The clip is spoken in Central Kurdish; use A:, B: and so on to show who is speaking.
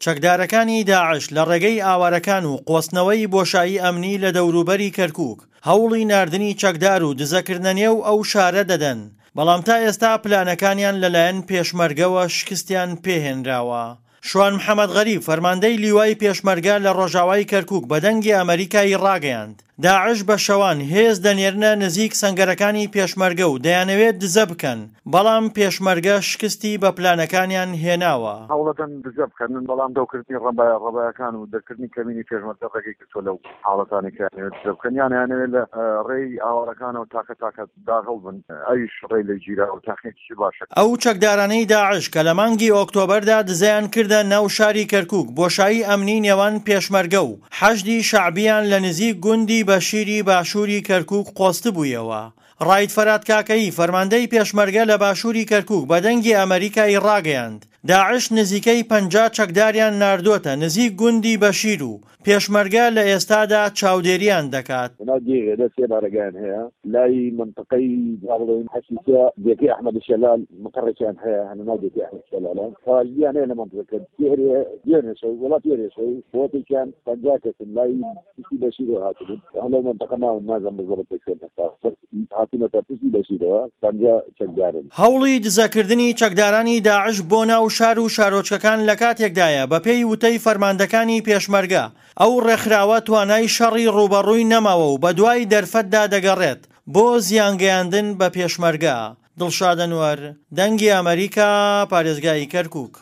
A: چەکدارەکانی داعش لە ڕێگەی ئاوارەکان و قۆستنەوەی بۆشایی ئەمنی لە دەوروبەری کەرکووک، هەوڵی ناردنی چەکدار و دزەکردنە نێو ئەو شارە دەدەن، بەڵام تا ئێستا پلانەکانیان لەلایەن پێشمەرگەوە شکستیان پێهێنراوە. شوان محەمەد غەریب، فەرماندەی لیوای پێشمەرگە لە ڕۆژاوای کەرکووک بە دەنگی ئەمەریکای ڕاگەیاند، داعش بە شەوان هێز دەنێرنە نزیک سەنگەرەکانی پێشمەرگە و دەیانەوێت دزە بکەن، بەڵام پێشمەرگە شکستی بە پلانەکانیان هێناوە.
B: هەوڵەدەن دزە بکەن، بەڵام دەوکردنی ڕەبایە ڕەبایەکان و دەرکردنی کەمینی پێشمەرگە ڕێگەی گرتووە لەو حاڵەتانەی کە ئەیانەوێت دزە بکەن یان ئەیانەوێت لە ڕێی ئاوارەکانەوە تاکە تاکە داغڵ بن ئەویش ڕێی لێ گیراوە و تاقیەکیشی باشە.
A: ئەو چەکدارانەی داعش کە لە مانگی ئۆکتۆبەردا دزەیان کردە ناو شاری کەرکوک بۆشایی ئەمنی نێوان پێشمەرگە و حەشدی شەعبیان لە نزیک گوندی بەشیری باشووری کەرکوک قۆستبوویەوە. ڕائید فەرات کاکەیی فەرماندەی پێشمەرگە لە باشووری کەرکوک بە دەنگی ئەمەریکای ڕاگەیاند، داعش نزیکەی 50 چەکداریان ناردۆتە نزیک گوندی بەشیر و پێشمەرگە لە ئێستادا چاودێریان دەکات.
C: لەناو دێی غێدە سێ بارەگایان هەیە، لای مەنتقەی با بڵێین حەسیسە دێکەی ئەحمەد شەلال مقەڕێکیان هەیە هەر لەناو دێکەی ئەحمەد شەلالە خواریان هەیە لە مەنتقەکە دێرێ دوێنێ شەو وڵات دوێنێ شەو بۆتێکیان 50 کەسن لای پشتی بەشیرەوە هاتبوون هەر لەو مەنتەقە ماون نازانم بزەبت لە کوێن هەستا بەس هاتوونەتە پشتی بەشیرەوە 50 چەکدارن.
A: هەوڵی دزەکردنی چەکدارانی داعش بۆ ناو شار و شارۆچکەکان لە کاتێکدایە بەپێی وتەی فەرماندەکانی پێشمەرگە ئەو ڕێکخراوە توانای شەڕی ڕووبەڕووی نەماوە و بەدوای دەرفەتدا دەگەڕێت بۆ زیانگەیاندن بە پێشمەرگە. دڵشاد ئەنوەر، دەنگی ئەمەریکا، پارێزگای کەرکوک.